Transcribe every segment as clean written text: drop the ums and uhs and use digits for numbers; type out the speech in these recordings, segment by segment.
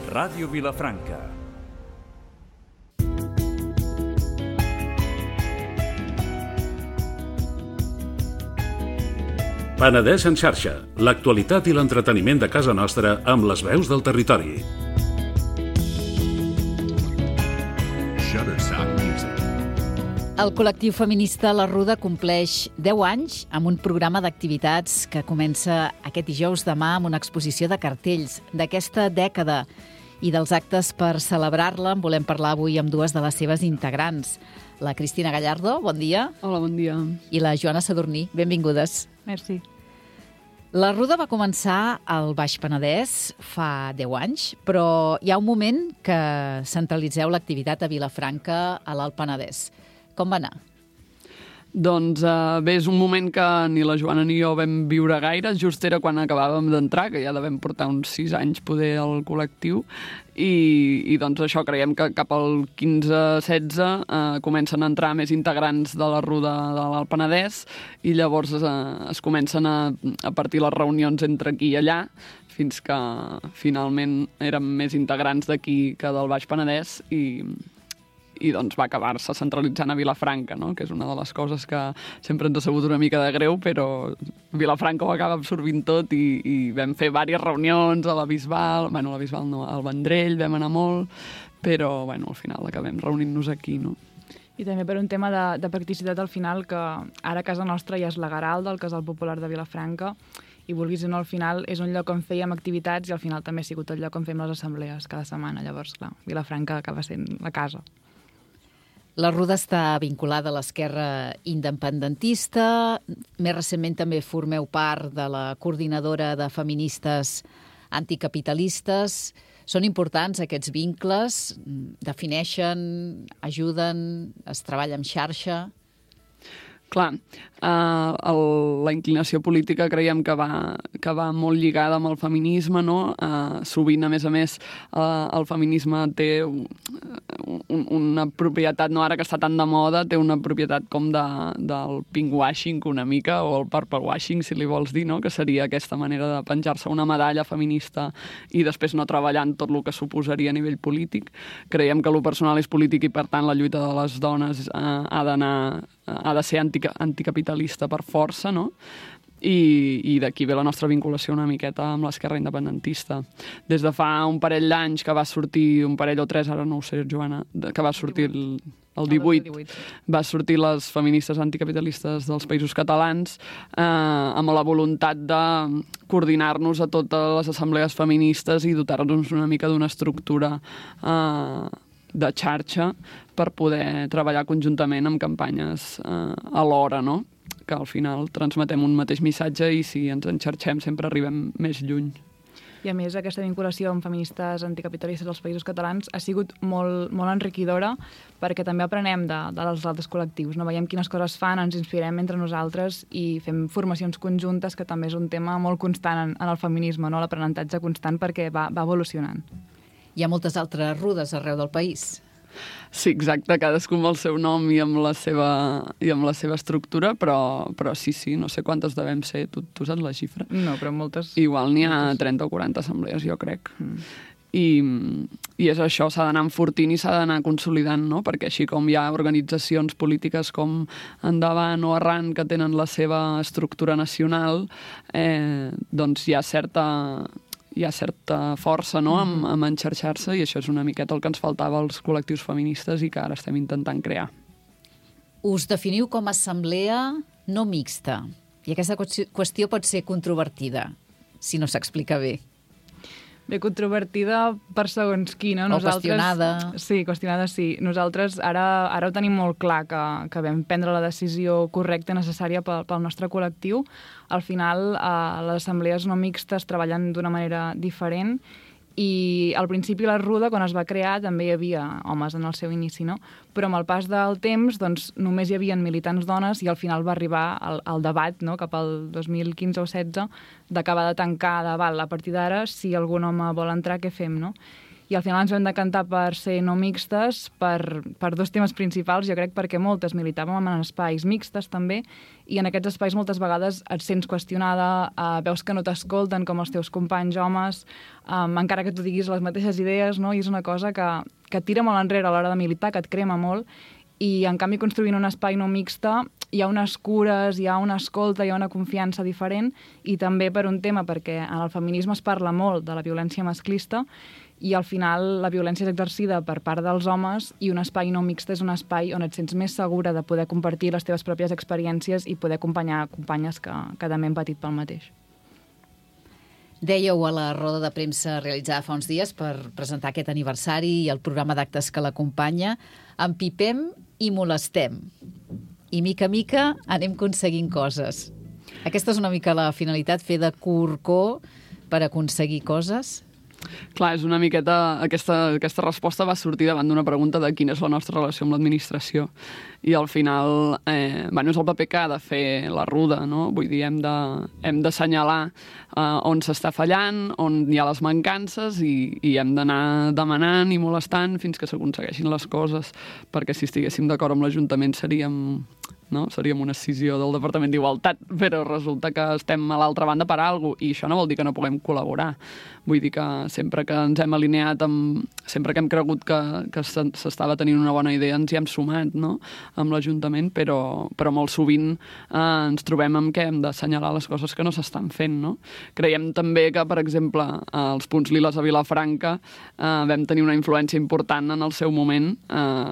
Ràdio Vilafranca. Penedès en xarxa, l'actualitat i l'entreteniment de casa nostra amb les veus del territori. El col·lectiu feminista La Ruda compleix 10 anys amb un programa d'activitats que comença aquest dijous demà amb una exposició de cartells d'aquesta dècada i dels actes per celebrar-la. En volem parlar avui amb dues de les seves integrants. La Cristina Gallardo, bon dia. Hola, bon dia. I la Joana Sadurní, benvingudes. Merci. La Ruda va començar al Baix Penedès fa 10 anys, però hi ha un moment que centralitzeu l'activitat a Vilafranca, a l'Alt Penedès. Com va anar? Doncs bé, és un moment que ni la Joana ni jo vam viure gaire. Just era quan acabàvem d'entrar, que ja devem portar uns 6 anys poder al col·lectiu, i doncs això, creiem que cap al 15-16 comencen a entrar més integrants de la Ruda de l'Alt Penedès i llavors es comencen a partir les reunions entre aquí i allà, fins que finalment érem més integrants d'aquí que del Baix Penedès i doncs va acabar-se centralitzant a Vilafranca, no? Que és una de les coses que sempre ens ha sabut una mica de greu, però Vilafranca ho acaba absorbint tot i vam fer diverses reunions a la Bisbal, bueno, a la Bisbal no, al Vendrell vam anar molt, però bueno, al final acabem reunint-nos aquí, no? I també per un tema de practicitat al final, que ara a casa nostra ja és la Garalda, el Casal Popular de Vilafranca, i vulguis o no, al final és un lloc on fèiem activitats i al final també ha sigut el lloc on fem les assemblees cada setmana. Llavors, clar, Vilafranca acaba sent la casa. La Ruda està vinculada a l'esquerra independentista. Més recentment també formeu part de la coordinadora de feministes anticapitalistes. Són importants aquests vincles? Defineixen, ajuden, es treballa en xarxa? Clar, la inclinació política creiem que va molt lligada amb el feminisme, no? Sovint, a més, el feminisme té una propietat, no ara que està tan de moda, té una propietat com del pinkwashing una mica, o el purplewashing, si li vols dir, no? Que seria aquesta manera de penjar-se una medalla feminista i després no treballar en tot el que suposaria a nivell polític. Creiem que lo personal és polític i, per tant, la lluita de les dones ha de ser anticapitalista per força, no? I d'aquí ve la nostra vinculació una miqueta amb l'esquerra independentista. Des de fa un parell d'anys que va sortir, un parell o 3, ara no ho sé, Joana, que va sortir el 18, va sortir les feministes anticapitalistes dels Països Catalans amb la voluntat de coordinar-nos a totes les assemblees feministes i dotar-nos una mica d'una estructura de xarxa per poder treballar conjuntament amb campanyes alhora, no? Que al final transmetem un mateix missatge i si ens enxarxem sempre arribem més lluny. I a més, aquesta vinculació amb feministes anticapitalistes dels Països Catalans ha sigut molt, molt enriquidora perquè també aprenem dels altres col·lectius, no? Veiem quines coses fan, ens inspirem entre nosaltres i fem formacions conjuntes, que també és un tema molt constant en el feminisme, no? L'aprenentatge constant perquè va evolucionant. Hi ha moltes altres rudes arreu del país. Sí, exacte, cadascú amb el seu nom i amb la seva estructura, però sí, no sé quantes devem ser, tu saps la xifra? No, però moltes. Igual n'hi ha 30 o 40 assemblees, jo crec. I és això, s'ha d'anar enfortint i s'ha d'anar consolidant, no? Perquè així com hi ha organitzacions polítiques com Endavant o Arran que tenen la seva estructura nacional, doncs hi ha certa força, no?, amb enxarxar-se, i això és una miqueta el que ens faltava als col·lectius feministes i que ara estem intentant crear. Us definiu com a assemblea no mixta, i aquesta qüestió pot ser controvertida, si no s'explica bé. Bé, controvertida per segons qui, no? O qüestionada. Sí, qüestionada sí. Nosaltres ara ho tenim molt clar, que vam prendre la decisió correcta i necessària pel nostre col·lectiu. Al final, les assemblees no mixtes treballen d'una manera diferent i al principi la Ruda, quan es va crear, també hi havia homes en el seu inici, no? Però amb el pas del temps, doncs, només hi havia militants dones i al final va arribar al debat, no?, cap al 2015 o 16, d'acabar de tancar de val, a partir d'ara, si algun home vol entrar, què fem, no? i al final ens vam decantar per ser no mixtes per dos temes principals, jo crec, perquè moltes militàvem en espais mixtes també, i en aquests espais moltes vegades et sents qüestionada, veus que no t'escolten com els teus companys homes, encara que tu diguis les mateixes idees, no? I és una cosa que tira molt enrere a l'hora de militar, que et crema molt, i en canvi construint un espai no mixta hi ha unes cures, hi ha una escolta, hi ha una confiança diferent, i també per un tema, perquè en el feminisme es parla molt de la violència masclista, i al final la violència és exercida per part dels homes, i un espai no mixt és un espai on et sents més segura de poder compartir les teves pròpies experiències i poder acompanyar companyes que també han patit pel mateix. Dèieu a la roda de premsa realitzada fa uns dies per presentar aquest aniversari i el programa d'actes que l'acompanya, empipem i molestem. I mica a mica anem aconseguint coses. Aquesta és una mica la finalitat, fer de corcó per aconseguir coses? Clar, és una miqueta... Aquesta resposta va sortir davant d'una pregunta de quina és la nostra relació amb l'administració. I al final, és el paper que ha de fer la Ruda, no? Vull dir, hem d'assenyalar on s'està fallant, on hi ha les mancances, i hem d'anar demanant i molestant fins que s'aconsegueixin les coses, perquè si estiguéssim d'acord amb l'Ajuntament seríem una escissió del Departament d'Igualtat, però resulta que estem a l'altra banda per alguna cosa, i això no vol dir que no puguem col·laborar. Vull dir que sempre que ens hem alineat sempre que hem cregut que s'estava tenint una bona idea ens hi hem sumat, no?, amb l'Ajuntament, però molt sovint ens trobem amb que hem d'assenyalar les coses que no s'estan fent, no? Creiem també que, per exemple, els punts liles a Vilafranca vam tenir una influència important en el seu moment,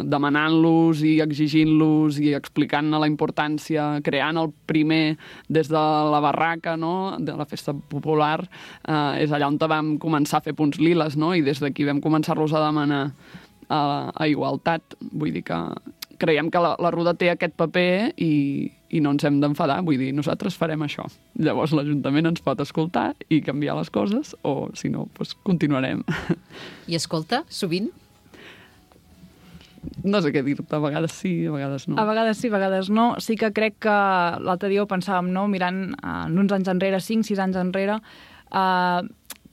demanant-los i exigint-los i explicant-ne la importància, creant el primer des de la barraca, no?, de la festa popular, és allà on vam començar a fer punts liles, no?, i des d'aquí vam començar-los a demanar a igualtat. Vull dir que creiem que la Ruda té aquest paper i no ens hem d'enfadar, vull dir, nosaltres farem això. Llavors l'Ajuntament ens pot escoltar i canviar les coses, o si no, doncs continuarem. I escolta, sovint? No sé què dir-te, a vegades sí, a vegades no. A vegades sí, a vegades no. Sí que crec que l'altre dia ho pensàvem, no?, mirant uns anys enrere, 5-6 anys enrere,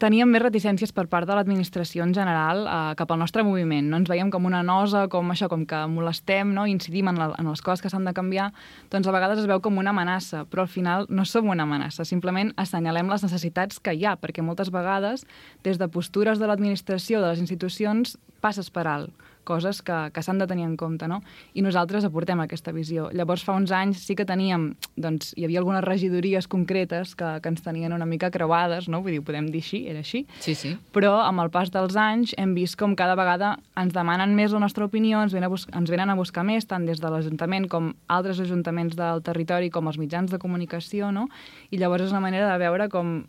teníem més reticències per part de l'administració en general cap al nostre moviment. No ens veiem com una nosa, com que molestem, no?, incidim en les coses que s'han de canviar, doncs a vegades es veu com una amenaça, però al final no som una amenaça, simplement assenyalem les necessitats que hi ha, perquè moltes vegades, des de postures de l'administració, de les institucions, passes per alt coses que s'han de tenir en compte, no? I nosaltres aportem aquesta visió. Llavors, fa uns anys sí que teníem, doncs, hi havia algunes regidories concretes que ens tenien una mica creuades, no? Vull dir, podem dir així, era així. Sí, sí. Però amb el pas dels anys hem vist com cada vegada ens demanen més la nostra opinió, ens venen a buscar més, tant des de l'Ajuntament com altres ajuntaments del territori, com els mitjans de comunicació, no? I llavors és una manera de veure com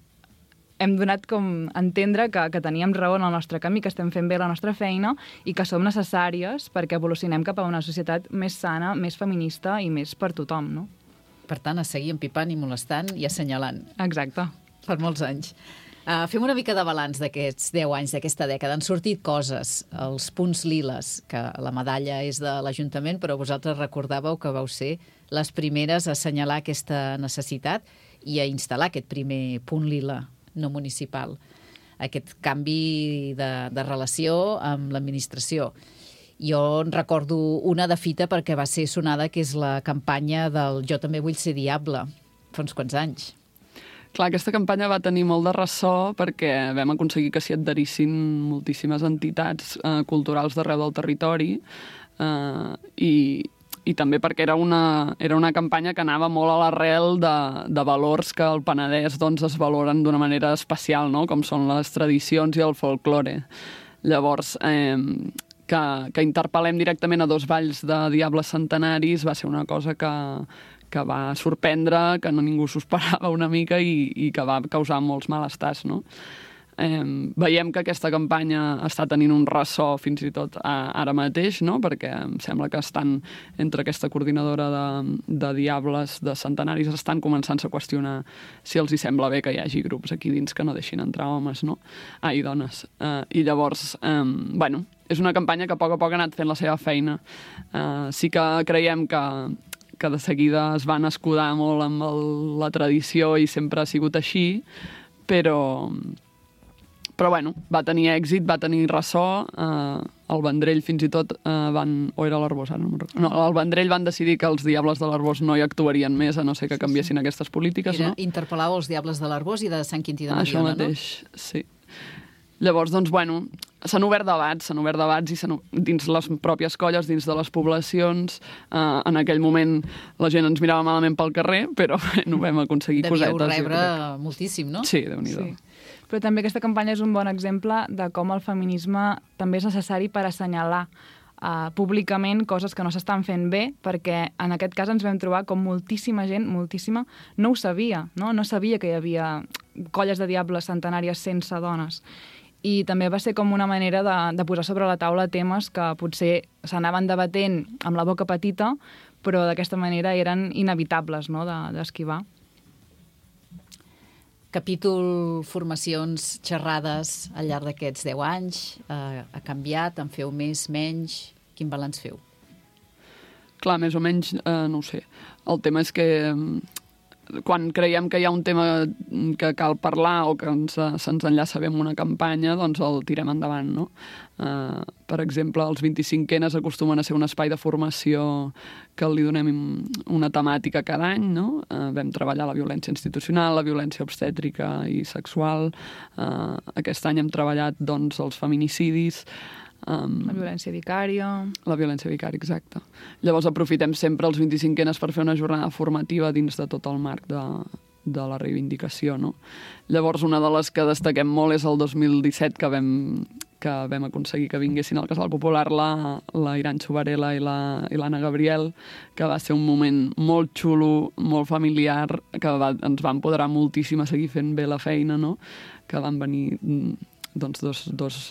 hem donat com entendre que teníem raó en el nostre camí, que estem fent bé la nostra feina i que som necessàries perquè evolucionem cap a una societat més sana, més feminista i més per tothom, no? Per tant, a seguir empipant i molestant i assenyalant. Exacte. Per molts anys. Fem una mica de balanç d'aquests 10 anys, d'aquesta dècada. Han sortit coses, els punts liles, que la medalla és de l'Ajuntament, però vosaltres recordàveu que vau ser les primeres a assenyalar aquesta necessitat i a instal·lar aquest primer punt lila no municipal, aquest canvi de relació amb l'administració. Jo en recordo una de fita perquè va ser sonada, que és la campanya del Jo també vull ser diable, fa uns quants anys. Clar, aquesta campanya va tenir molt de ressò perquè vam aconseguir que s'hi adherissin moltíssimes entitats culturals d'arreu del territori i també perquè era una campanya que anava molt a l'arrel de valors que al Penedès doncs, es valoren d'una manera especial, no?, com són les tradicions i el folklore. Llavors, que interpel·lem directament a dos balls de diables centenaris va ser una cosa que va sorprendre, que ningú s'ho esperava una mica i que va causar molts malestars, no? Veiem que aquesta campanya està tenint un ressò fins i tot ara mateix, no?, perquè em sembla que estan entre aquesta coordinadora de diables de centenaris estan començant-se a qüestionar si els hi sembla bé que hi hagi grups aquí dins que no deixin entrar homes, no? I dones. I llavors, és una campanya que a poc ha anat fent la seva feina. Sí que creiem que de seguida es van escudar molt amb la tradició i sempre ha sigut així, però Però bueno, va tenir èxit, va tenir ressò, el Vendrell fins i tot o era l'Arbós, ara no me'n recordo. No, el Vendrell van decidir que els Diables de l'Arbós no hi actuarien més, a no ser que canviessin aquestes polítiques, no? Interpel·làveu els Diables de l'Arbós i de Sant Quintí de Mediona, no? Això mateix, sí. Llavors, doncs, bueno, s'han obert debats i dins les pròpies colles, dins de les poblacions. En aquell moment la gent ens mirava malament pel carrer, però no vam aconseguir cosetes. Devíeu rebre moltíssim, no? Sí, Déu-n'hi-do. Sí. Però també aquesta campanya és un bon exemple de com el feminisme també és necessari per assenyalar públicament coses que no s'estan fent bé, perquè en aquest cas ens vam trobar com moltíssima gent, moltíssima, no ho sabia, no sabia que hi havia colles de diables centenàries sense dones. I també va ser com una manera de posar sobre la taula temes que potser s'anaven debatent amb la boca petita, però d'aquesta manera eren inevitables, no?, d'esquivar. Capítol formacions, xerrades al llarg d'aquests 10 anys. Ha canviat? En feu més, menys? Quin balanç feu? Clar, més o menys, no ho sé. El tema és que quan creiem que hi ha un tema que cal parlar o que se'ns enllaça bé amb una campanya, doncs el tirem endavant, no? Per exemple, els 25enes acostumen a ser un espai de formació que li donem una temàtica cada any, no? Vam treballar la violència institucional, la violència obstètrica i sexual. Aquest any hem treballat, doncs, els feminicidis, la violència vicària. La violència vicària, exacte. Llavors aprofitem sempre els 25enes per fer una jornada formativa dins de tot el marc de la reivindicació, no? Llavors una de les que destaquem molt és el 2017 que vam aconseguir que vinguessin al Casal Popular la Iranxo Varela i l'Anna Gabriel, que va ser un moment molt xulo, molt familiar, que ens va empoderar moltíssim a seguir fent bé la feina, no? Que van venir doncs dos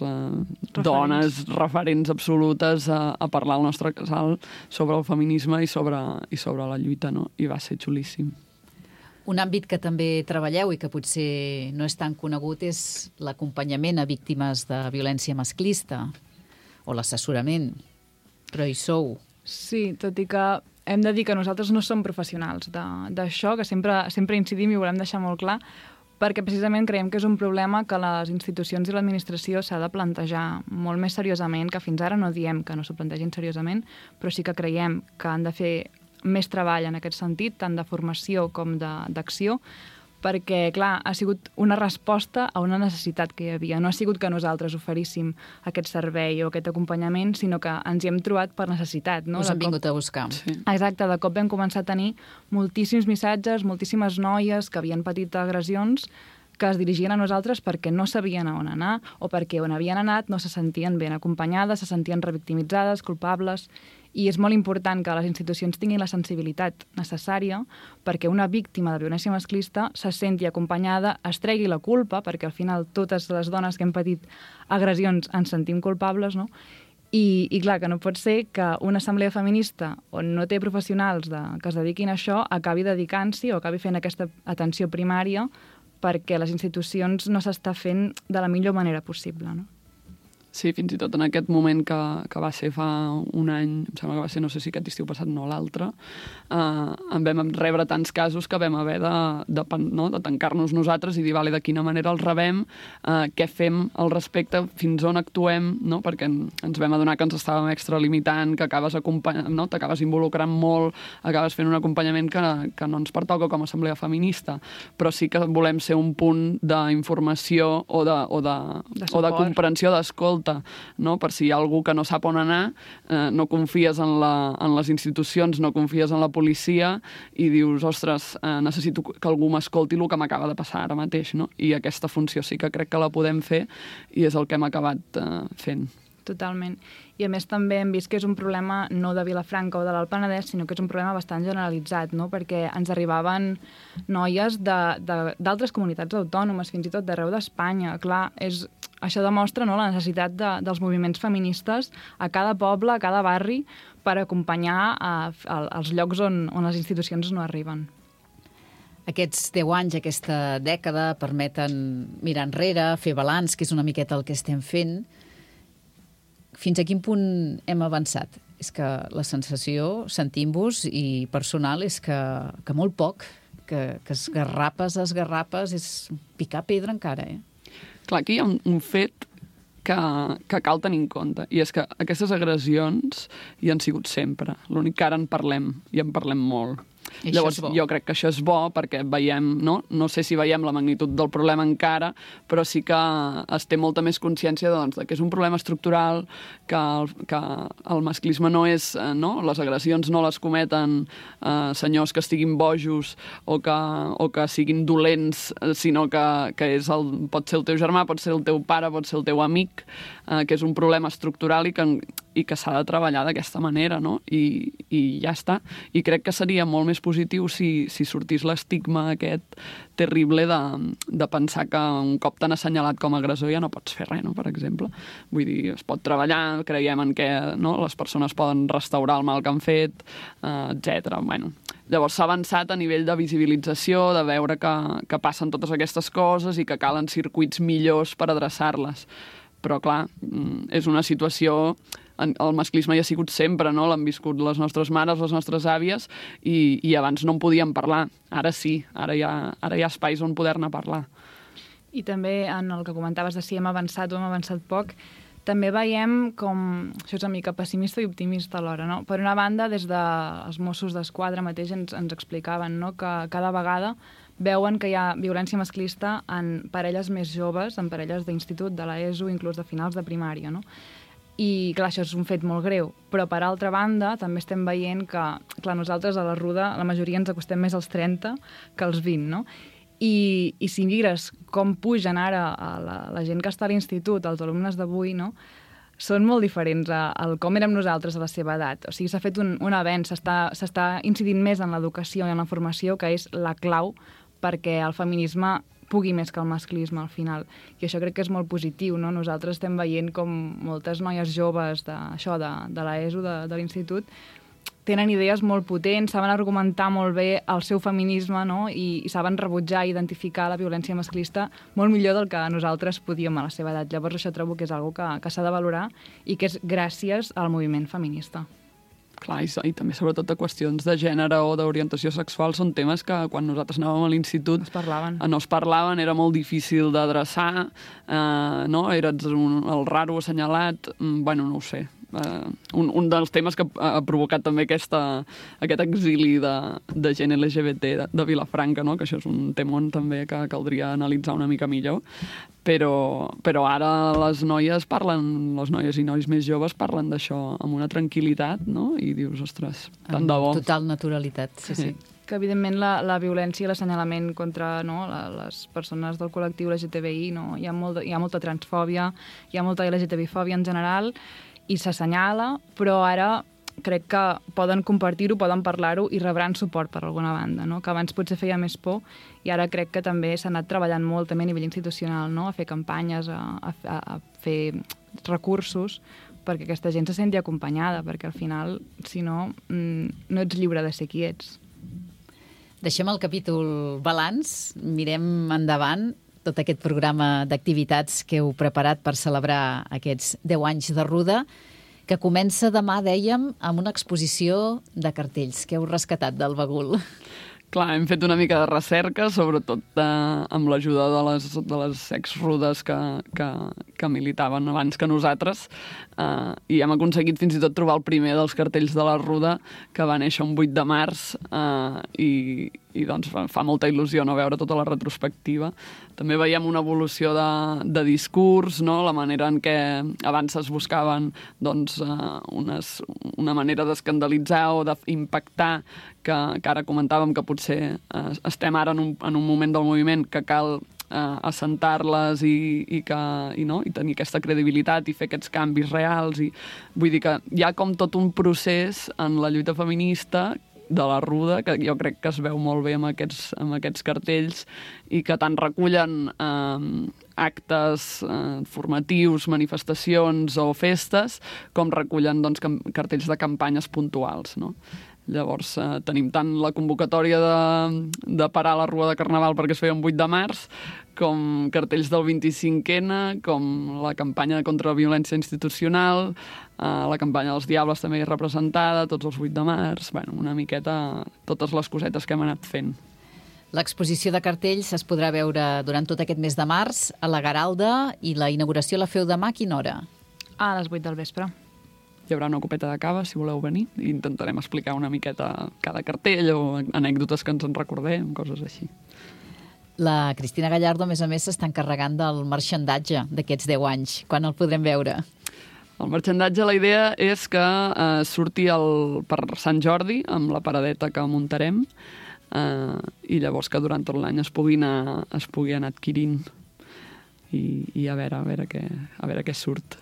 dones referents absolutes a parlar al nostre casal sobre el feminisme i sobre la lluita, no? I va ser xulíssim. Un àmbit que també treballeu i que potser no és tan conegut és l'acompanyament a víctimes de violència masclista o l'assessorament. Però hi sou. Sí, tot i que hem de dir que nosaltres no som professionals d'això, que sempre incidim i ho volem deixar molt clar, perquè precisament creiem que és un problema que les institucions i l'administració s'ha de plantejar molt més seriosament, que fins ara no diem que no s'ho plantegin seriosament, però sí que creiem que han de fer més treball en aquest sentit, tant de formació com d'acció, perquè, clar, ha sigut una resposta a una necessitat que hi havia. No ha sigut que nosaltres oferíssim aquest servei o aquest acompanyament, sinó que ens hi hem trobat per necessitat. No? Us han vingut a buscar. Sí. Exacte, de cop vam començar a tenir moltíssims missatges, moltíssimes noies que havien patit agressions que es dirigien a nosaltres perquè no sabien a on anar o perquè on havien anat no se sentien ben acompanyades, se sentien revictimitzades, culpables. I és molt important que les institucions tinguin la sensibilitat necessària perquè una víctima de violència masclista se senti acompanyada, es tregui la culpa, perquè al final totes les dones que hem patit agressions ens sentim culpables, no? I clar, que no pot ser que una assemblea feminista on no té professionals que es dediquin a això acabi dedicant-s'hi o acabi fent aquesta atenció primària perquè les institucions no s'està fent de la millor manera possible, no? Sí, fins i tot en aquest moment que va ser fa un any, em sembla que va ser, no sé si aquest estiu passat no l'altre, en vam rebre tants casos que vam haver de tancar-nos nosaltres i dir, vale, de quina manera els rebem, què fem al respecte, fins on actuem, no? Perquè ens vam adonar que ens estàvem extralimitant, que acabes no? T'acabes involucrant molt, acabes fent un acompanyament que no ens pertoca com a assemblea feminista, però sí que volem ser un punt d'informació o de comprensió, d'escolta, no? Per si hi ha algú que no sap on anar, no confies en les institucions, no confies en la policia i dius, ostres, necessito que algú m'escolti el que m'acaba de passar ara mateix, no? I aquesta funció sí que crec que la podem fer i és el que hem acabat fent. Totalment. I a més també hem vist que és un problema no de Vilafranca o de l'Alt Penedès, sinó que és un problema bastant generalitzat, no? Perquè ens arribaven noies d'altres comunitats autònomes, fins i tot d'arreu d'Espanya. Clar, això demostra, no, la necessitat dels moviments feministes a cada poble, a cada barri, per acompanyar als llocs on les institucions no arriben. Aquests 10 anys, aquesta dècada, permeten mirar enrere, fer balanç, que és una miqueta el que estem fent. Fins a quin punt hem avançat? És que la sensació, sentint-vos, i personal, és que molt poc, que esgarrapes és picar pedra encara, eh? Clar, aquí hi ha un fet que cal tenir en compte, i és que aquestes agressions hi han sigut sempre. L'únic que ara en parlem, i en parlem molt. I Llavors, això és bo. jo crec que això és bo perquè veiem, no sé si veiem la magnitud del problema encara, però sí que es té molta més consciència doncs, de que és un problema estructural, que el masclisme no és... les agressions no les cometen senyors que estiguin bojos o que siguin dolents, sinó que pot ser el teu germà, pot ser el teu pare, pot ser el teu amic, que és un problema estructural i que s'ha de treballar d'aquesta manera, no? I ja està. I crec que seria molt més positiu si sortís l'estigma aquest terrible de pensar que un cop t'han assenyalat com a agressor ja no pots fer res, no? Per exemple. Vull dir, es pot treballar, creiem en què les persones poden restaurar el mal que han fet, etc. Bueno, llavors s'ha avançat a nivell de visibilització, de veure que passen totes aquestes coses i que calen circuits millors per adreçar-les. Però, clar, és una situació... El masclisme hi ha sigut sempre, no? L'han viscut les nostres mares, les nostres àvies, i abans no en podíem parlar. Ara sí, ara hi ha espais on poder-ne parlar. I també, en el que comentaves de si hem avançat o hem avançat poc, també veiem com... Això és una mica pessimista i optimista alhora, no? Per una banda, des dels Mossos d'Esquadra mateix ens explicaven, no?, que cada vegada veuen que hi ha violència masclista en parelles més joves, en parelles d'institut, de l'ESO, inclús de finals de primària, no? I, clar, això és un fet molt greu. Però, per altra banda, també estem veient que, clar, nosaltres a la Ruda, la majoria ens acostem més als 30 que als 20, no? I si mires com pugen ara la gent que està a l'institut, els alumnes d'avui, no?, són molt diferents al com érem nosaltres a la seva edat. O sigui, s'ha fet un avenç, s'està incidint més en l'educació i en la formació, que és la clau perquè el feminisme pugui més que el masclisme al final. I això crec que és molt positiu, no? Nosaltres estem veient com moltes noies joves de l'ESO, de l'institut, tenen idees molt potents, saben argumentar molt bé el seu feminisme, no? I saben rebutjar i identificar la violència masclista molt millor del que nosaltres podíem a la seva edat. Llavors això trobo que és una cosa que s'ha de valorar i que és gràcies al moviment feminista. Clar, i també sobretot de qüestions de gènere o d'orientació sexual són temes que quan nosaltres anàvem a l'institut no es parlaven, era molt difícil d'adreçar, no? Eres el raro assenyalat, bueno, no ho sé. Un dels temes que ha provocat també aquest exili de gent LGBT de Vilafranca, no? Que això és un temon també que caldria analitzar una mica millor, però ara les noies i nois més joves parlen d'això amb una tranquil·litat, no? I dius, ostres, tant de bo. Amb total naturalitat, sí. Que, evidentment, la violència i l'assenyalament contra les persones del col·lectiu LGTBI, no? Hi ha molta transfòbia, hi ha molta LGTBI-fòbia en general, i s'assenyala, però ara crec que poden compartir-ho, poden parlar-ho i rebran suport per alguna banda, no? Que abans potser feia més por i ara crec que també s'ha anat treballant molt també a nivell institucional, no? A fer campanyes, a fer recursos perquè aquesta gent se senti acompanyada, perquè al final, si no, no ets lliure de ser qui ets. Deixem el capítol balanç, mirem endavant tot aquest programa d'activitats que heu preparat per celebrar aquests 10 anys de Ruda, que comença demà, dèiem, amb una exposició de cartells que heu rescatat del bagul. Clar, hem fet una mica de recerca, sobretot amb l'ajuda de les ex-rudes que militaven abans que nosaltres, i hem aconseguit fins i tot trobar el primer dels cartells de la Ruda, que va néixer un 8 de març, i doncs fa molta il·lusió no veure tota la retrospectiva. També veiem una evolució de discurs, no? La manera en què abans es buscaven doncs, una manera d'escandalitzar o d'impactar, que ara comentàvem que potser estem ara en un moment del moviment que cal assentar-les i tenir aquesta credibilitat i fer aquests canvis reals. I vull dir que hi ha com tot un procés en la lluita feminista de la Ruda, que jo crec que es veu molt bé amb aquests cartells i que tant recullen actes formatius, manifestacions o festes, com recullen doncs, cartells de campanyes puntuals, no? Llavors tenim tant la convocatòria de parar la Rua de Carnaval perquè es feia un 8 de març, com cartells del 25N, com la campanya contra la violència institucional, la campanya dels Diables també és representada, tots els 8 de març, bueno, una miqueta totes les cosetes que hem anat fent. L'exposició de cartells es podrà veure durant tot aquest mes de març a la Garalda i la inauguració la feu demà a quina hora? A les 8 del vespre. Hi haurà una copeta de cava, si voleu venir, i intentarem explicar una miqueta cada cartell o anècdotes que ens en recordem, coses així. La Cristina Gallardo, a més, s'està encarregant del marxandatge d'aquests 10 anys. Quan el podrem veure? El marxandatge, la idea és que surti per Sant Jordi, amb la paradeta que muntarem, i llavors que durant tot l'any es pugui anar adquirint i a veure què surt.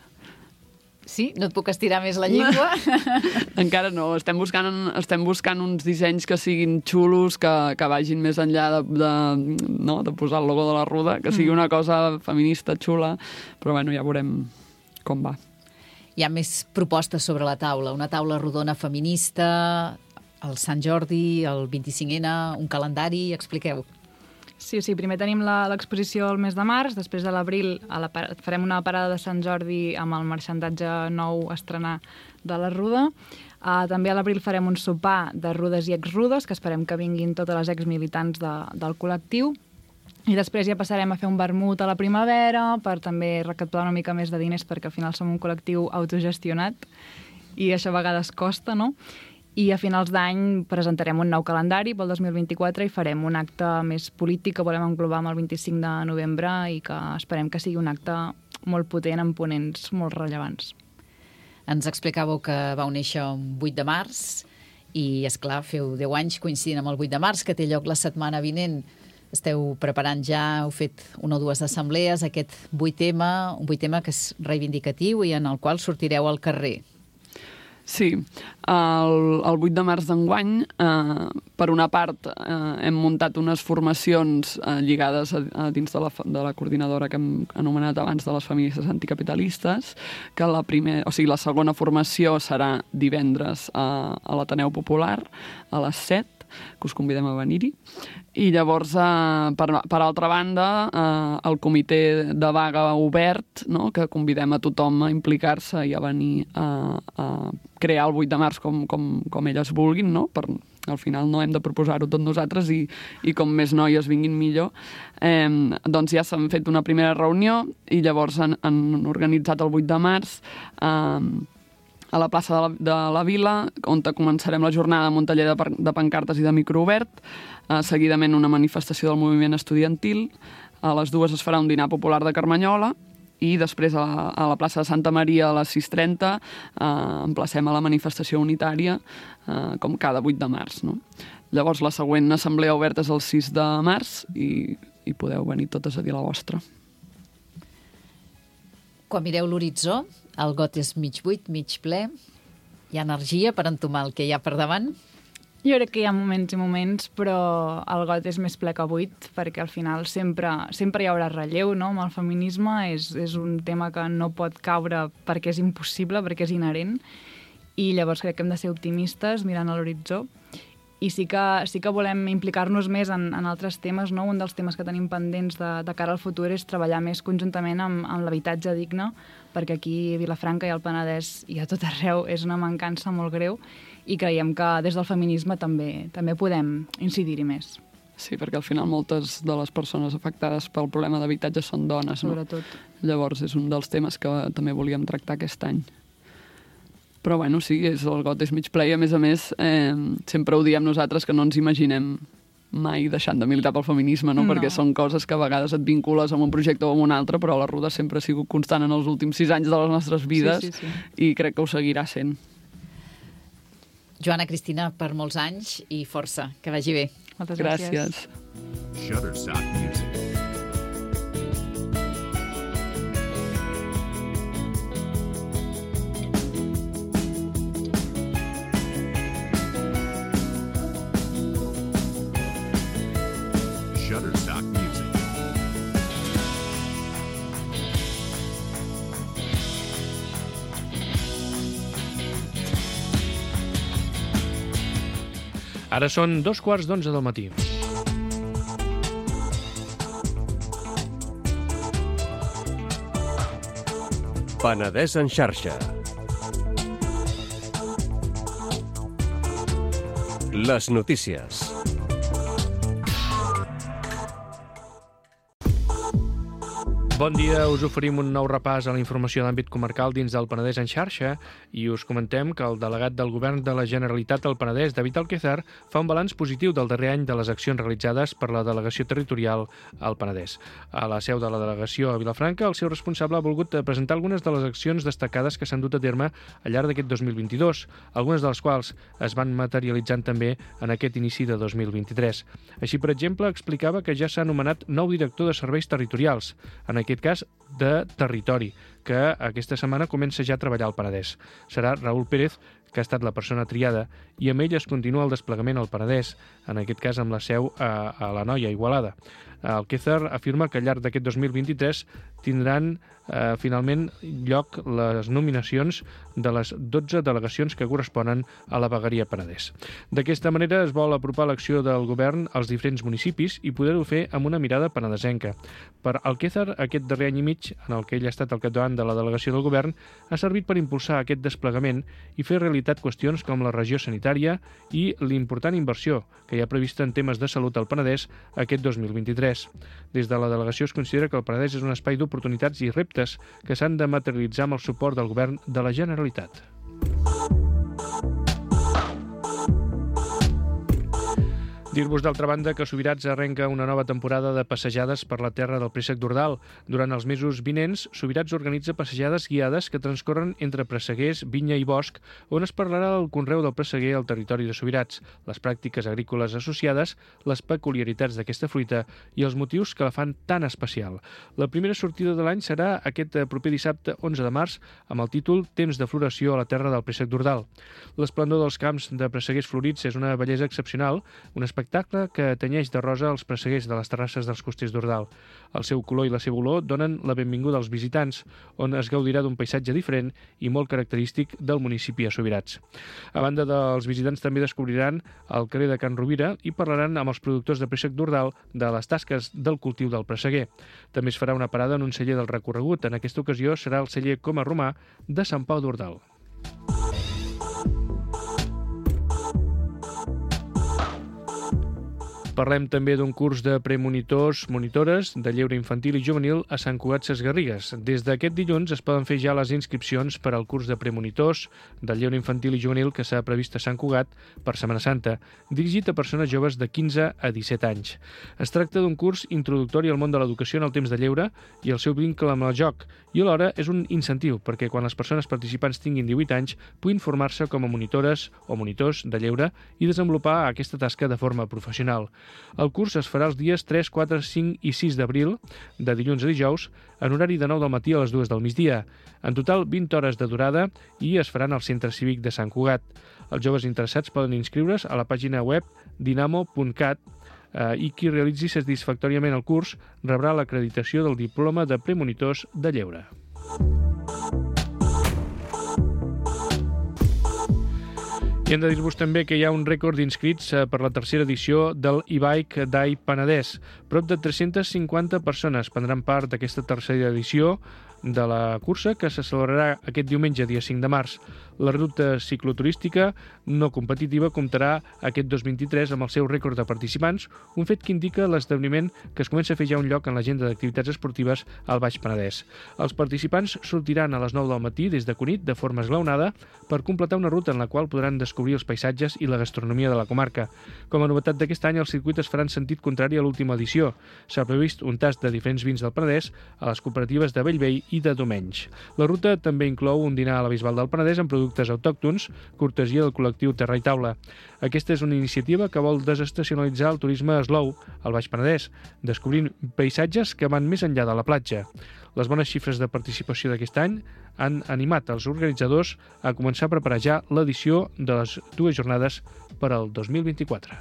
Sí? No et puc estirar més la llengua? Encara no. Estem buscant uns dissenys que siguin xulos, que vagin més enllà de posar el logo de la Ruda, que sigui una cosa feminista, xula, però bueno, ja veurem com va. Hi ha més propostes sobre la taula. Una taula rodona feminista, el Sant Jordi, el 25N, un calendari, expliqueu. Sí, primer tenim l'exposició al mes de març, després de l'abril farem una parada de Sant Jordi amb el marxandatge nou a estrenar de la Ruda. També a l'abril farem un sopar de rudes i exrudes, que esperem que vinguin totes les exmilitants del col·lectiu. I després ja passarem a fer un vermut a la primavera per també recaptar una mica més de diners, perquè al final som un col·lectiu autogestionat i això a vegades costa, no? I a finals d'any presentarem un nou calendari pel 2024 i farem un acte més polític que volem englobar amb el 25 de novembre i que esperem que sigui un acte molt potent amb ponents molt rellevants. Ens explicàveu que vau néixer un 8 de març i, esclar, feu 10 anys coincidint amb el 8 de març, que té lloc la setmana vinent. Esteu preparant ja, heu fet una o dues assemblees, aquest 8M, un 8M que és reivindicatiu i en el qual sortireu al carrer. Sí, el 8 de març d'enguany, per una part, hem muntat unes formacions lligades a dins de la coordinadora que hem anomenat abans de les feministes anticapitalistes, que la segona formació serà divendres a l'Ateneu Popular a les 7, que us convidem a venir-hi. I llavors, per altra banda, el comitè de vaga obert, no?, que convidem a tothom a implicar-se i a venir a crear el 8 de març com elles vulguin, no? Al final no hem de proposar-ho tot nosaltres i com més noies vinguin millor. Doncs ja s'han fet una primera reunió i llavors han organitzat el 8 de març a la plaça de la Vila, on començarem la jornada amb un taller de pancartes i de microobert, seguidament una manifestació del moviment estudiantil, a les 2 es farà un dinar popular de Carmanyola i després a la plaça de Santa Maria a les 6:30 emplacem a la manifestació unitària com cada 8 de març. No? Llavors la següent assemblea oberta és el 6 de març i podeu venir totes a dir la vostra. Quan mireu l'horitzó, el got és mig buit, mig ple. Hi ha energia per entomar el que hi ha per davant? Jo crec que hi ha moments i moments, però el got és més ple que buit, perquè al final sempre hi haurà relleu, no? Amb el feminisme és un tema que no pot caure perquè és impossible, perquè és inherent, i llavors crec que hem de ser optimistes mirant a l'horitzó. I sí que volem implicar-nos més en altres temes, no? Un dels temes que tenim pendents de cara al futur és treballar més conjuntament amb l'habitatge digne, perquè aquí a Vilafranca i al Penedès i a tot arreu és una mancança molt greu i creiem que des del feminisme també podem incidir-hi més. Sí, perquè al final moltes de les persones afectades pel problema d'habitatge són dones, no? Sobretot. Llavors és un dels temes que també volíem tractar aquest any. Però bueno, sí, el got és mig ple i a més, sempre ho diem nosaltres que no ens imaginem mai deixant de militar pel feminisme, no? Perquè són coses que a vegades et vincules amb un projecte o amb un altre, però la Ruda sempre ha sigut constant en els últims 6 anys de les nostres vides sí. I crec que ho seguirà sent. Joana, Cristina, per molts anys i força. Que vagi bé. Moltes gràcies. Shutterstock Music. Shutterstock Music. Ara són 11:15 del matí. Penedès en xarxa. Les notícies. Bon dia, us oferim un nou repàs a la informació d'àmbit comarcal dins del Penedès en xarxa i us comentem que el delegat del Govern de la Generalitat al Penedès, David Alquézar, fa un balanç positiu del darrer any de les accions realitzades per la delegació territorial al Penedès. A la seu de la delegació a Vilafranca, el seu responsable ha volgut presentar algunes de les accions destacades que s'han dut a terme al llarg d'aquest 2022, algunes de les quals es van materialitzant també en aquest inici de 2023. Així, per exemple, explicava que ja s'ha anomenat nou director de serveis territorials, en aquest cas de territori, que aquesta setmana comença ja a treballar al Penedès. Serà Raül Pérez, que ha estat la persona triada, i amb ell es continua el desplegament al Penedès, en aquest cas amb la seu a la Noia, Igualada. Alquézar afirma que al llarg d'aquest 2023 tindran finalment lloc les nominacions de les 12 delegacions que corresponen a la vegueria Penedès. D'aquesta manera es vol apropar l'acció del govern als diferents municipis i poder-ho fer amb una mirada penedesenca. Per Alquézar, aquest darrer any i mig, en el que ell ha estat al capdavant de la delegació del govern, ha servit per impulsar aquest desplegament i fer realitat qüestions com la regió sanitària i l'important inversió que hi ha prevista en temes de salut al Penedès aquest 2023. Des de la delegació es considera que el Penedès és un espai d'oportunitats i reptes que s'han de materialitzar amb el suport del govern de la Generalitat. Dir-vos, d'altra banda, que Subirats arrenca una nova temporada de passejades per la terra del Préssec d'Ordal. Durant els mesos vinents, Subirats organitza passejades guiades que transcorren entre presseguers, vinya i bosc, on es parlarà del conreu del presseguer al territori de Subirats, les pràctiques agrícoles associades, les peculiaritats d'aquesta fruita i els motius que la fan tan especial. La primera sortida de l'any serà aquest proper dissabte 11 de març amb el títol Temps de floració a la terra del Préssec d'Ordal. L'esplendor dels camps de presseguers florits és una bellesa excepcional, un espectacle que tenyeix de rosa els presseguers de les terrasses dels costers d'Ordal. El seu color i la seva olor donen la benvinguda als visitants, on es gaudirà d'un paisatge diferent i molt característic del municipi de Subirats. A banda dels visitants també descobriran el carrer de Can Rovira i parlaran amb els productors de préssec d'Ordal de les tasques del cultiu del presseguer. També es farà una parada en un celler del recorregut. En aquesta ocasió serà el celler Coma Romà de Sant Pau d'Ordal. Parlem també d'un curs de premonitors/monitores de lleure infantil i juvenil a Sant Cugat Sesgarrigues. Des d'aquest dilluns es poden fer ja les inscripcions per al curs de premonitors de lleure infantil i juvenil que s'ha previst a Sant Cugat per Setmana Santa, dirigit a persones joves de 15 a 17 anys. Es tracta d'un curs introductori al món de l'educació en el temps de lleure i el seu vincle amb el joc, i alhora és un incentiu perquè quan les persones participants tinguin 18 anys puguin formar-se com a monitores o monitors de lleure i desenvolupar aquesta tasca de forma professional. El curs es farà els dies 3, 4, 5 i 6 d'abril, de dilluns a dijous, en horari de 9 del matí a les 2 del migdia. En total, 20 hores de durada i es faran al Centre Cívic de Sant Cugat. Els joves interessats poden inscriure's a la pàgina web dinamo.cat i qui realitzi satisfactòriament el curs rebrà l'acreditació del diploma de premonitors de lleure. I hem de dir-vos també que hi ha un rècord d'inscrits per la tercera edició del e-bike Day Penedès. Prop de 350 persones prendran part d'aquesta tercera edició de la cursa que se celebrarà aquest diumenge, dia 5 de març. La ruta cicloturística no competitiva comptarà aquest 2023 amb el seu rècord de participants, un fet que indica l'esdeveniment que es comença a fer ja un lloc en l'agenda d'activitats esportives al Baix Penedès. Els participants sortiran a les 9 del matí des de Cunit de forma esglaonada per completar una ruta en la qual podran descobrir els paisatges i la gastronomia de la comarca. Com a novetat d'aquest any, el circuit es farà en sentit contrari a l'última edició. S'ha previst un tast de diferents vins del Penedès a les cooperatives de Bellvei i de Domenys. La ruta també inclou un dinar a la Bisbal del Penedès amb productes autòctons, cortesia del col·lectiu Terra i Taula. Aquesta és una iniciativa que vol desestacionalitzar el turisme slow al Baix Penedès, descobrint paisatges que van més enllà de la platja. Les bones xifres de participació d'aquest any han animat els organitzadors a començar a preparar ja l'edició de les dues jornades per al 2024.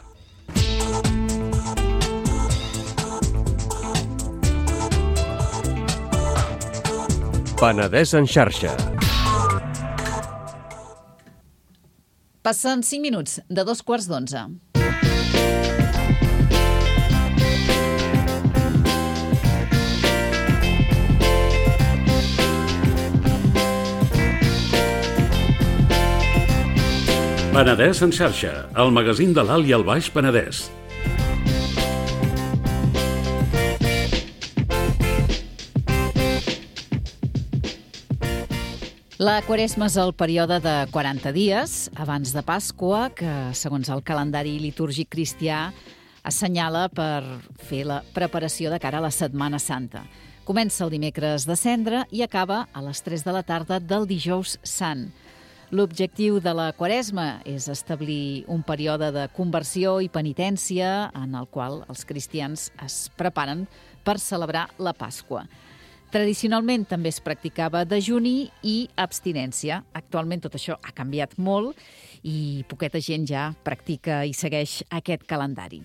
Penedès en xarxa. Passen 5 minuts de 2:15. Penedès en xarxa, el magazín de l'Alt i el Baix Penedès. La Quaresma és el període de 40 dies abans de Pasqua, que, segons el calendari litúrgic cristià, assenyala per fer la preparació de cara a la Setmana Santa. Comença el dimecres de Cendra i acaba a les 3 de la tarda del Dijous Sant. L'objectiu de la Quaresma és establir un període de conversió i penitència en el qual els cristians es preparen per celebrar la Pasqua. Tradicionalment també es practicava dejuni i abstinència. Actualment tot això ha canviat molt i poqueta gent ja practica i segueix aquest calendari.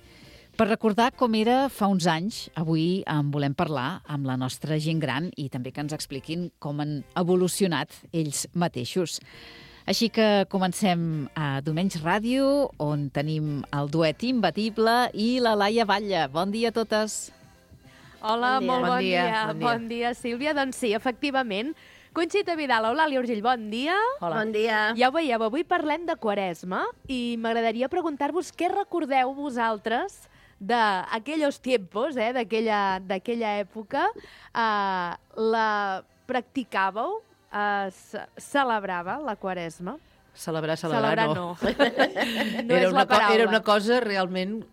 Per recordar com era fa uns anys, avui en volem parlar amb la nostra gent gran i també que ens expliquin com han evolucionat ells mateixos. Així que comencem a Domenys Ràdio, on tenim el duet imbatible i la Laia Batlle. Bon dia a totes. Hola, molt bon dia. Bon dia, Sílvia. Doncs sí, efectivament. Conxita Vidal, Eulàlia Urgell, bon dia. Hola. Bon dia. Ja ho veieu, avui parlem de Quaresma i m'agradaria preguntar-vos què recordeu vosaltres d'aquells tiempos, d'aquella època. La practicàveu? Celebrava la Quaresma? Celebrar no. No és la paraula. Era una cosa realment,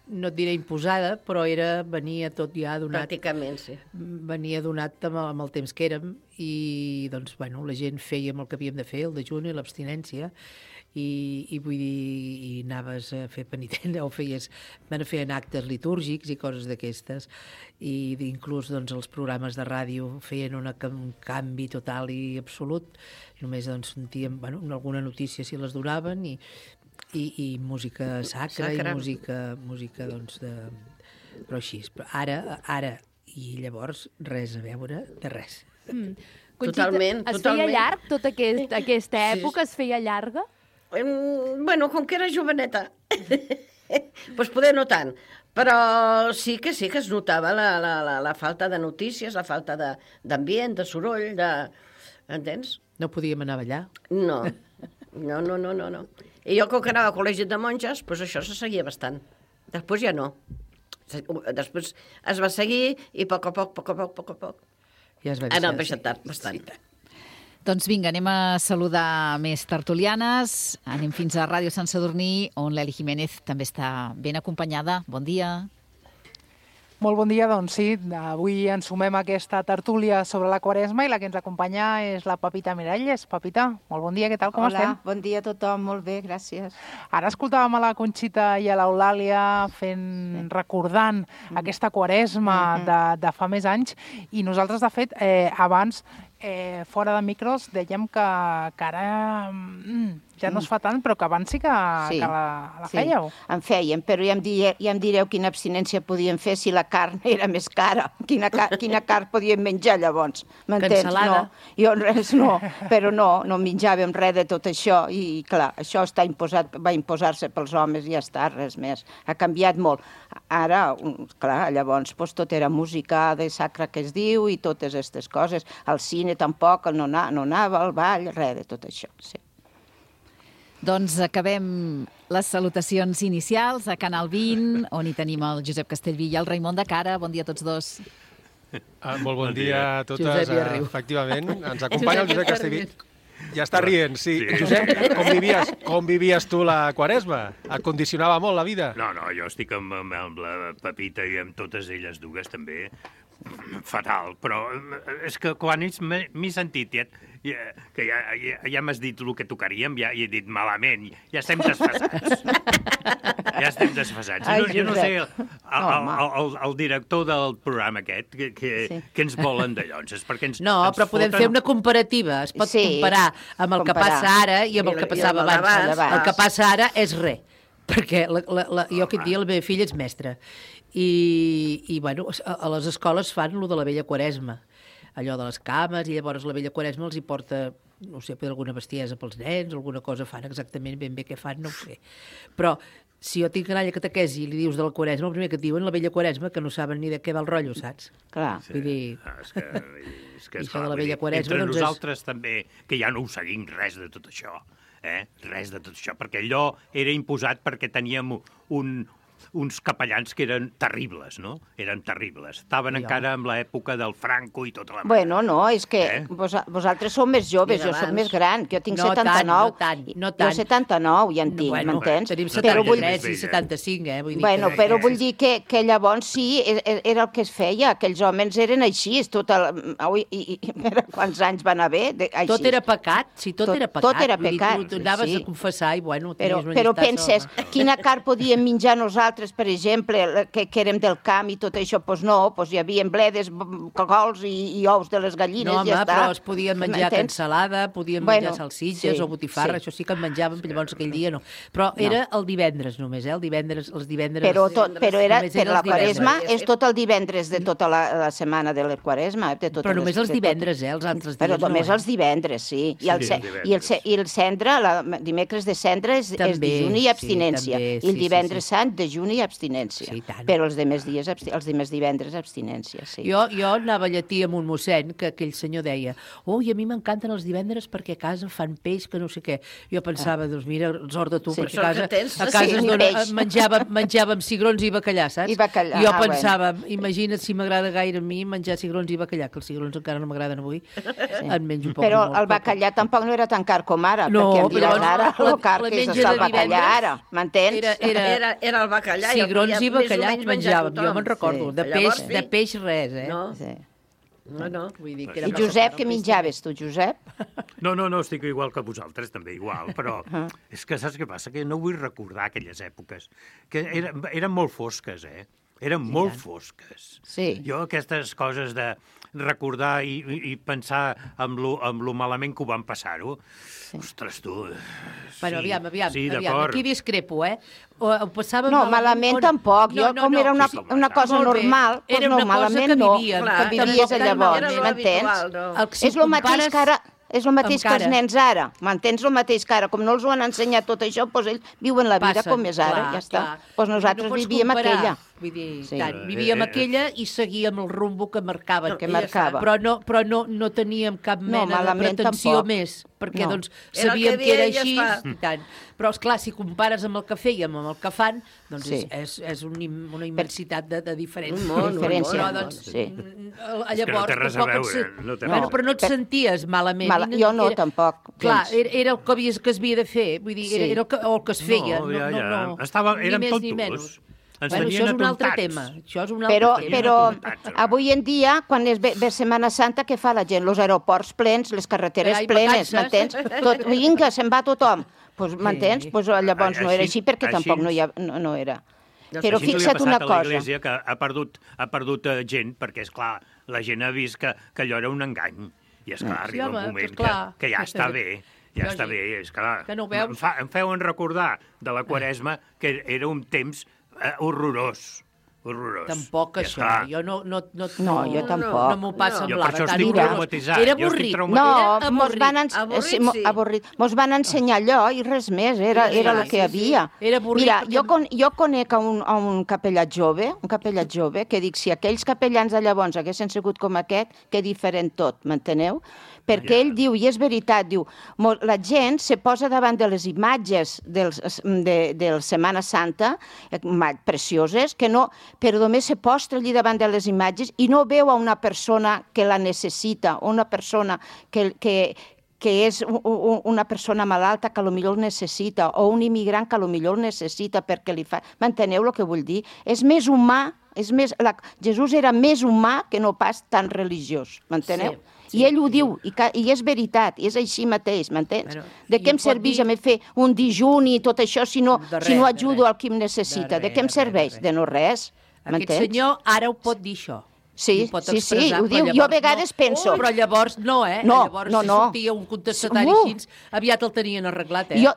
no et diré imposada, però venia tot ja donat. Pràcticament, sí. Venia donat amb el temps que érem i doncs, bueno, la gent fèiem el que havíem de fer, el dejuni, l'abstinència, i vull dir, i anaves a fer penitència, o feien actes litúrgics i coses d'aquestes, i inclús doncs, els programes de ràdio feien un canvi total i absolut. Només doncs, sentíem alguna notícia si les donaven i música sacra i música doncs, però així. Però ara i llavors res a veure de res. Totalment. Es feia llarg tota aquesta època? Es feia llarga? Bueno, com que era joveneta, doncs poder no tant, però sí que es notava la falta de notícies, la falta d'ambient, de soroll, entens? No podíem anar a ballar? No. I jo, com que anava a col·legi de monges, doncs això se seguia bastant. Després ja no. Després es va seguir i a poc a poc. Ja es va ha anat baixant tard, bastant. Sí. Doncs vinga, anem a saludar més tertulianes. Anem fins a Ràdio Sant Sadurní, on l'Eli Jiménez també està ben acompanyada. Bon dia. Molt bon dia, doncs sí, avui ens sumem a aquesta tertúlia sobre la Quaresma i la que ens acompanya és la Pepita Miralles. Pepita, molt bon dia, què tal, com estem? Hola, bon dia a tothom, molt bé, gràcies. Ara escoltàvem a la Conxita i a l'Eulàlia recordant aquesta Quaresma de fa més anys i nosaltres, de fet, abans, fora de micros, dèiem que ara ja no es fa tant, però que abans sí que la fèieu. En fèiem, però ja em direu quina abstinència podíem fer si la carn era més cara. Quina carn podíem menjar llavors, m'entens? Cansalada. No, però no menjàvem res de tot això i clar, això va imposar-se pels homes i ja està, res més. Ha canviat molt. Ara, clar, llavors tot era música de sacra que es diu i totes aquestes coses. Al cine tampoc no anava, al ball, res de tot això, sí. Doncs acabem les salutacions inicials a Canal 20, on hi tenim el Josep Castellví i el Raimon de Cara. Bon dia a tots dos. Molt bon dia a totes. Efectivament, ens acompanya el Josep Castellví. Ja està rient, sí. Josep, com vivies tu la Quaresma? Et condicionava molt la vida? No, jo estic amb la Pepita i amb totes elles dues també. Fatal, però és que quan m'he sentit que ja m'has dit el que tocaríem, ja he dit malament, ja estem desfasats. Jo no sé, el director del programa aquest, que ens volen de llonces, perquè ens No, però podem fer una comparativa, es pot comparar amb el que passa ara i amb el que passava abans. El que passa ara és res, perquè jo aquest dia la meva filla és mestra. I bueno, a les escoles fan allò de la vella Quaresma, allò de les cames, i llavors la vella Quaresma els hi porta, no sé, alguna bestiesa pels nens, alguna cosa fan exactament ben bé què fan, no ho sé. Però si jo tinc canalla catequesi i li dius de la Quaresma, el primer que et diuen la vella Quaresma, que no saben ni de què va el rotllo, saps? Clar. Vull dir... És que això de la vella Quaresma... Entre nosaltres també, que ja no ho seguim res de tot això, res de tot això, perquè allò era imposat perquè teníem uns capellans que eren terribles, no? Eren terribles. Estaven encara en l'època del Franco i tota la... Bueno, no, és que vosaltres sou més joves, jo soc més gran, que jo tinc 79. No tant. Jo 79 ja en tinc, m'entens? Tenim 73 i 75, vull dir bueno, però vull dir que llavors sí, era el que es feia, aquells homes eren així, quants anys van haver? Tot era pecat, sí, tot era pecat. Tot era pecat, tu anaves a confessar i, bueno, tenies una però llista penses, quina carn podíem menjar nosaltres, per exemple, que érem del camp i tot això? Doncs no, hi havia bledes, cogols i ous de les gallines, no, home, ja està. Però es podien menjar cansalada, podien menjar salsitxes o botifarra, això sí que en menjàvem, llavors aquell dia no. Però era el divendres només, els divendres... Però era per la Quaresma, és tot el divendres de tota la setmana de la Quaresma. Però només els divendres, els altres dies no. Però només els divendres, sí. I el cendre, dimecres de cendre és dejuni i abstinència. I el divendres sant, dejuni i abstinència. Però els demés divendres abstinència, sí. Jo anava a lletí amb un mossèn que aquell senyor deia i a mi m'encanten els divendres perquè a casa fan peix, que no sé què. Jo pensava, doncs mira, sort de tu, perquè a casa menjàvem cigrons i bacallà, saps? Jo pensava, imagina't si m'agrada gaire a mi menjar cigrons i bacallà, que els cigrons encara no m'agraden avui, en menjo poc. Però el bacallà tampoc no era tan car com ara, perquè em diràs ara el car que és el bacallà ara, m'entens? Era el bacallà. Cigrons i bacallà menjàvem, jo me'n recordo. De peix res, No. I Josep, què menjaves tu, Josep? No, estic igual que vosaltres, també igual, però és que saps què passa? Que no vull recordar aquelles èpoques, que eren molt fosques, Eren molt fosques. Jo aquestes coses de recordar i pensar amb lo malament que ho van passar-ho, ostres, tu... Bueno, aviam, aquí discrepo, Ho passàvem... No, malament tampoc. Jo, com era una cosa normal, doncs no, malament no, que vivies llavors, m'entens? És el mateix que ara... És el mateix que els nens ara, m'entens? El mateix que ara. Com no els ho han ensenyat tot això, doncs ells viuen la vida com és ara, ja està. Doncs nosaltres vivíem aquella. Vull dir, vivíem aquella i seguíem el rumbo que marcaven. Però no teníem cap mena de pretensió més, perquè doncs sabíem que era així. Però, esclar, si compares amb el que fèiem, amb el que fan, doncs és una immensitat de diferència. Llavors, però no et senties malament. Jo no, tampoc. Clar, era el que es havia de fer, vull dir, era el que es feia. Érem tontos. Bueno, això és un altre tema. Però avui en dia, quan ve Setmana Santa, què fa la gent? Els aeroports plens, les carreteres plenes, m'entens? Vinga, se'n va tothom. M'entens? Llavors no era així perquè tampoc no era. Però fixa't una cosa. L'Església que ha perdut gent, perquè, esclar, la gent ha vist que allò era un engany. I, esclar, arriba un moment que ja està bé. Ja està bé, esclar. Em feuen recordar de la Quaresma que era un temps horrorós. Tampoc això. Jo no jo tampoc. No m'ho passa amb l'ara. Jo per això estic traumatitzat. Era avorrit. No, mos van ensenyar allò i res més. Era el que hi havia. Mira, jo conec un capellà jove, que dic, si aquells capellans de llavors haguessin sigut com aquest, que diferent tot, m'enteneu? Perquè ell diu, i és veritat, diu, la gent se posa davant de les imatges de Setmana Santa, precioses, que no, però només se postra allí davant de les imatges i no veu a una persona que la necessita, o una persona que és una persona malalta que potser el necessita, o un immigrant que potser el necessita perquè li fa... M'enteneu el que vull dir? És més humà, Jesús era més humà que no pas tan religiós, m'enteneu? I ell ho diu, i és veritat, i és així mateix, m'entens? De què em serveix a mi fer un dijuni i tot això si no ajudo al qui em necessita? De què em serveix? De no res, m'entens? Aquest senyor ara ho pot dir això. Sí, ho diu. Jo a vegades penso... Però llavors no, Llavors si sortia un contestatari així, aviat el tenien arreglat, Jo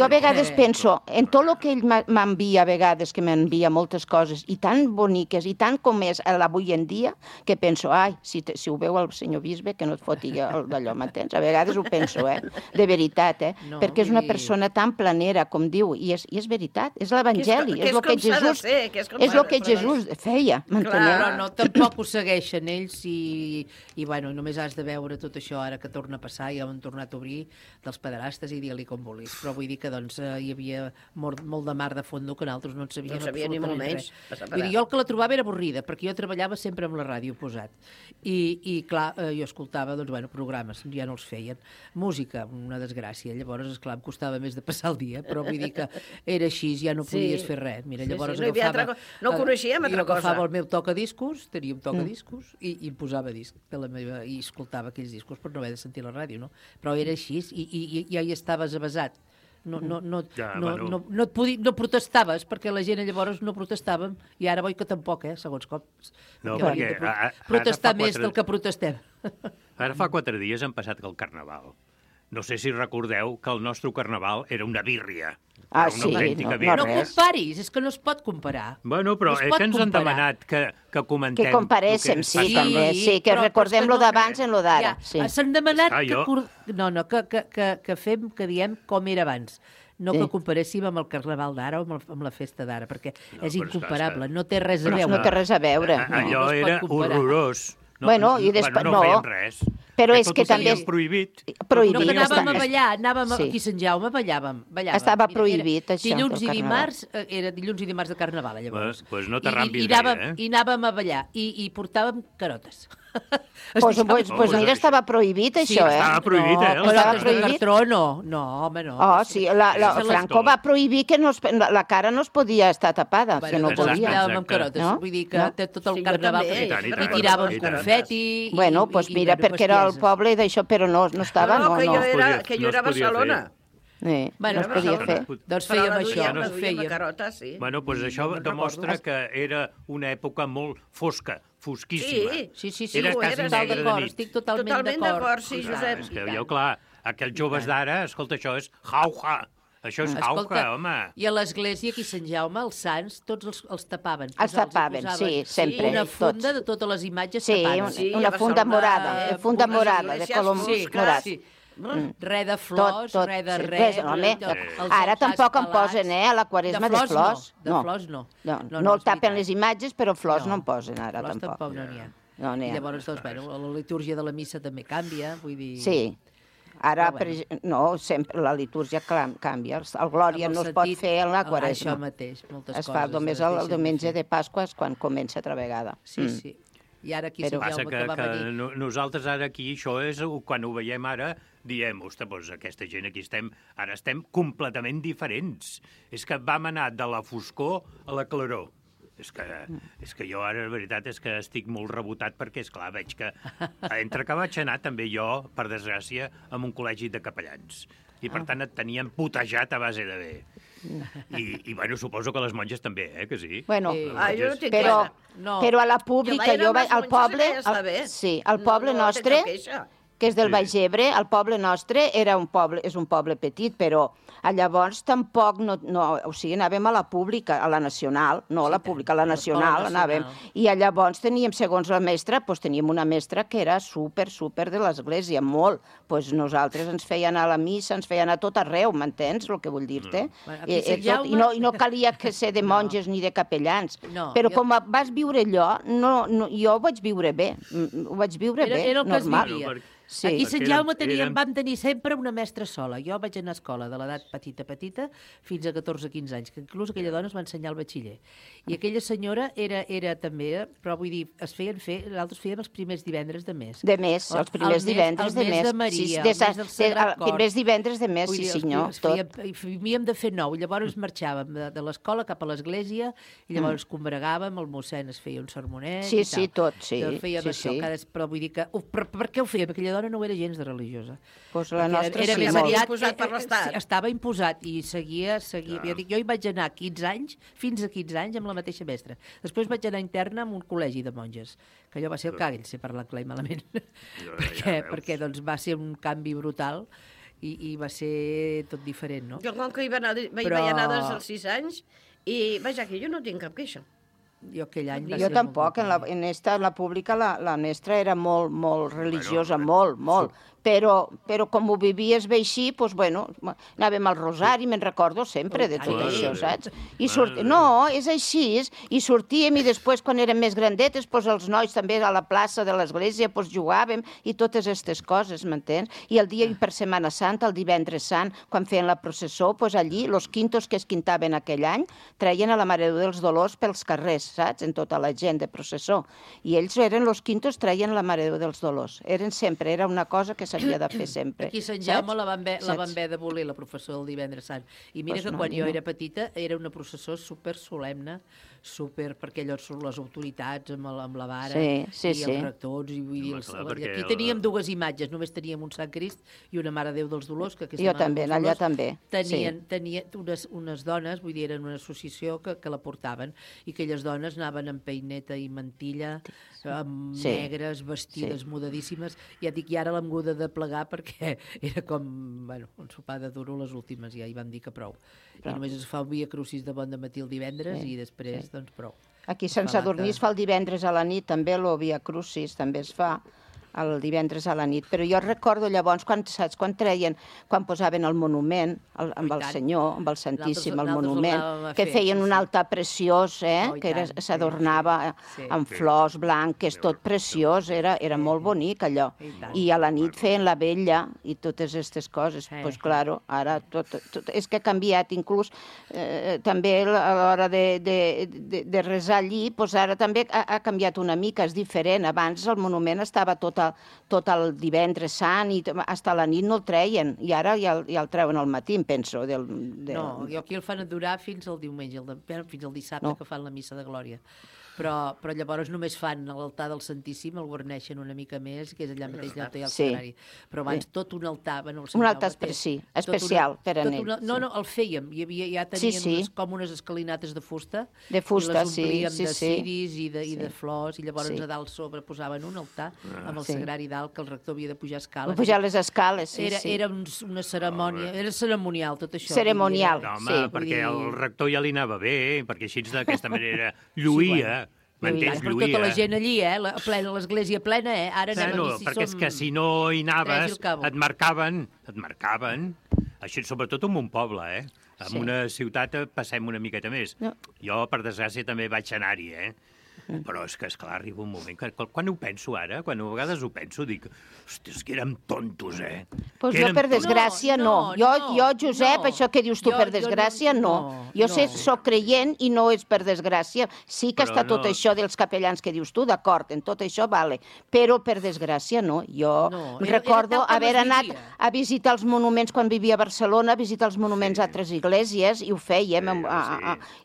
a vegades penso, en tot el que ell m'envia a vegades, que m'envia moltes coses, i tan boniques, i tant com és l'avui en dia, que penso, si ho veu el senyor bisbe, que no et foti d'allò, m'entens? A vegades ho penso, de veritat, perquè és una persona tan planera, com diu, i és veritat, és l'Evangeli, és el que Jesús feia, m'enteneu? Clar, no, tampoc ho segueixen ells i bueno, només has de veure tot això ara que torna a passar i han tornat a obrir dels pederastes i digue-li com vulguis. Però vull dir que doncs hi havia molt de mar de fondo que nosaltres no en sabíem ni molt menys. Vull dir, jo el que la trobava era avorrida, perquè jo treballava sempre amb la ràdio posat. I clar, jo escoltava, doncs, bueno, programes, ja no els feien. Música, una desgràcia. Llavors, esclar, em costava més de passar el dia, però vull dir que era així, ja no podies fer res. Mira, llavors no coneixíem altra cosa. Agafava el meu tocadiscos, tenia un tocadiscos, i em posava disc de la meva, i escoltava aquells discos per no haver de sentir la ràdio, no? Però era així, i ja hi estaves avasat. No protestaves, perquè la gent llavors no protestàvem, i ara vull que tampoc, segons com. No, perquè protestar més del que protestem. Ara fa 4 dies han passat el Carnaval. No sé si recordeu que el nostre Carnaval era una birria. Sí, no comparis, és que no es pot comparar. Bueno, però és que ens han demanat que comentem... Que comparéssim, sí, també, sí, que recordem lo d'abans en lo d'ara. S'han demanat que diem com era abans. No que comparéssim amb el Carnaval d'ara o amb la festa d'ara, perquè és incomparable, no té res a veure. No té res a veure. Allò era horrorós. Bueno, i després no fèiem res. Però és que també... és prohibit. No, que anàvem a ballar, anàvem aquí a Sant Jaume, ballàvem. Estava prohibit, això. Dilluns i dimarts, era dilluns i dimarts de Carnaval, llavors. Doncs no t'arrambis bé, I anàvem a ballar, i portàvem carotes. Doncs mira, estava prohibit, això, Estava prohibit, Estava prohibit? No, home, no. Oh, sí, Franco va prohibir que la cara no es podia estar tapada, que no podia. Anàvem amb carotes, vull dir que tot el Carnaval, i tiràvem confeti... Bueno, doncs mira, perquè era el poble d'això, però no estava, no. Que jo era a Barcelona. No es podia fer. Doncs fèiem això. Bueno, doncs això demostra que era una època molt fosca, fosquíssima. Sí, era quasi negre de nit. Estic totalment d'acord, sí, Josep. És que veieu, clar, aquells joves d'ara, escolta, això és jauja. Això és jauja, home. I a l'església, aquí a Sant Jaume, els sants, tots els tapaven. Els tapaven, sí, sempre. Una funda de totes les imatges tapades. Sí, una funda morada, de color morat. Res de flors, res de res. Ara tampoc en posen, a la Quaresma, de flors. De flors no. No el tapen les imatges, però flors no en posen ara, tampoc. Flors tampoc no n'hi ha. Llavors, la litúrgia de la missa també canvia, vull dir... Sí. Ara, no, sempre la litúrgia canvia. El Glòria no es pot fer en la Quaresma. Això mateix, moltes coses. Es fa només el diumenge de Pasqua, quan comença altra vegada. Sí. I ara aquí Sant Jaume que va venir... Nosaltres ara aquí, això és, quan ho veiem ara, diem, ostres, doncs aquesta gent aquí ara estem completament diferents. És que vam anar de la foscor a la claror. És que jo ara, la veritat, és que estic molt rebotat perquè, esclar, veig que entre que vaig anar també jo, per desgràcia, amb un col·legi de capellans. I, per tant, et tenien putejat a base de bé. I bueno, suposo que les monges també, que sí? Bueno, però a la pública, al poble... Sí, al poble nostre, que és del Baix Ebre, el poble nostre és un poble petit, però llavors tampoc o sigui, anàvem a la pública, a la nacional, no a la pública, a la nacional anàvem, i llavors teníem, segons la mestra, teníem una mestra que era super de l'església, molt. Nosaltres ens feien anar a la missa, ens feien anar a tot arreu, m'entens el que vull dir-te? I no calia que ser de monges ni de capellans, però com vas viure allò, jo ho vaig viure bé, era el que es normal. vivia. Aquí a Sant Jaume vam tenir sempre una mestra sola. Jo vaig anar a escola de l'edat petita fins a 14-15 anys, que inclús aquella dona es va ensenyar al batxiller. I aquella senyora era també, però vull dir, nosaltres fèiem els primers divendres de mes. De mes, els primers divendres de mes. El mes de Maria, el mes del Sagrat Cor. Primers divendres de mes, sí senyor, tot. Havíem de fer 9, llavors marxàvem de l'escola cap a l'església i llavors combregàvem, el mossèn es feia un sermonet i tal. Sí, tot, sí. Fèiem això, però vull dir que... Per què ho fèiem? Aquella dona no era gens de religiosa. Doncs la nostra era sí, més molt. Imposat per l'Estat. Estava imposat i seguia. Jo hi vaig anar 15 anys, fins a 15 anys, amb la mateixa mestra. Després vaig anar interna en un col·legi de monges, que allò va ser el cagall, si parla clar i malament. Perquè doncs, va ser un canvi brutal i va ser tot diferent, no? Jo com que hi vaig anar des dels 6 anys i, vaja, que jo no tinc cap queixa. Jo aquell any va Jo ser tampoc, en la pública la mestra era molt religiosa, molt. Però com ho vivies bé així, doncs, bueno, anàvem al rosari, me'n recordo sempre de tot això, saps? No, és així, i sortíem, i després, quan érem més grandetes, doncs els nois també a la plaça de l'església jugàvem, i totes aquestes coses, m'entens? I el dia per Setmana Santa, el divendres sant, quan feien la processó, doncs allí, els quintos que es quintaven aquell any, treien a la Mare de Déu dels Dolors pels carrers, saps? En tota la gent de processó. I ells eren els quintos, treien la Mare de Déu dels Dolors. Eren sempre, era una cosa que s'havia de fer sempre. Aquí a Sant Jaume la van haver d'abolir, la processó del divendres sant. I mira que quan jo era petita era una processó super solemne, perquè allò són les autoritats amb la vara i els rectors. Aquí teníem dues imatges, només teníem un Sant Crist i una Mare de Déu dels Dolors. Jo també, allà també. Tenien unes dones, vull dir, eren una associació que la portaven, i aquelles dones anaven amb peineta i mantilla, negres, vestides mudadíssimes. Ja dic, i ara l'hem hagut de plegar perquè era com, un sopar de duro les últimes, ja hi van dir que prou. I només es fa un via crucis de bon dematí el divendres i després, doncs, prou. Aquí a Sant Sadurní es fa el divendres a la nit, també el via crucis també es fa el divendres a la nit. Però jo recordo llavors, quan posaven el monument amb el Senyor, amb el Santíssim, el monument, que feien un altar preciós, que s'adornava amb flors blanques, tot preciós, era molt bonic allò. I a la nit feien la vella i totes aquestes coses. Doncs, clar, ara és que ha canviat, inclús també a l'hora de resar allí, ara també ha canviat una mica, és diferent. Abans el monument estava tot el divendres sant i fins a la nit no el treien, i ara ja el treuen al matí, em penso. No, aquí el fan durar fins al diumenge, fins al dissabte que fan la missa de Glòria. Però llavors només fan l'altar del Santíssim, el guarneixen una mica més, que és allà mateix allà el sagrari. Però abans tot un altar... Un altar especial per a ells. No, el fèiem. Ja tenien com unes escalinates de fusta. De fusta, sí. I les omplíem de ciris i de flors, i llavors a dalt sobre posaven un altar amb el sagrari dalt, que el rector havia de pujar escales. Pujar les escales, sí. Era una cerimònia, era ceremonial tot això. Ceremonial, sí. No, home, perquè el rector ja li anava bé, perquè així d'aquesta manera lluïa. M'entens, lluïa. Però tota la gent allí, l'església plena, ara anem aquí si som... Perquè és que si no hi anaves, et marcaven. Així, sobretot en un poble, En una ciutat passem una miqueta més. Jo, per desgràcia, també vaig anar-hi, Però és que, esclar, arriba un moment que quan ho penso ara, quan a vegades ho penso, dic, hòstia, és que érem tontos, Doncs jo, per desgràcia, no. Jo, Josep, això que dius tu, per desgràcia, no. Jo soc creient i no és per desgràcia. Sí que està tot això dels capellans que dius tu, d'acord, en tot això vale, però per desgràcia no. Jo recordo haver anat a visitar els monuments quan vivia a Barcelona, a visitar els monuments a altres esglésies, i ho fèiem,